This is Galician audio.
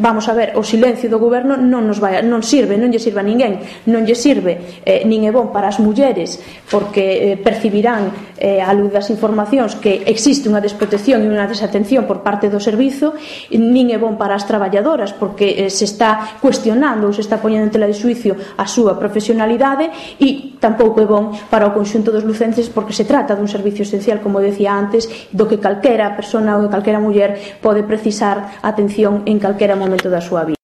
vamos a ver, o silencio do goberno non sirve, non lle sirve a ninguén, non lle sirve nin é bon para as mulleres porque percibirán á luz das informacións que existe unha desprotección e unha desatención por parte do servizo, nin é bon para as traballadoras porque se está cuestionando ou se está poñendo en tela de xuicio a súa profesionalidade, e tampouco é bon para o conxunto dos lucenses porque se trata dun servicio esencial, como decía antes, do que calquera persona ou calquera muller pode precisar atención en calquera momento da súa vida.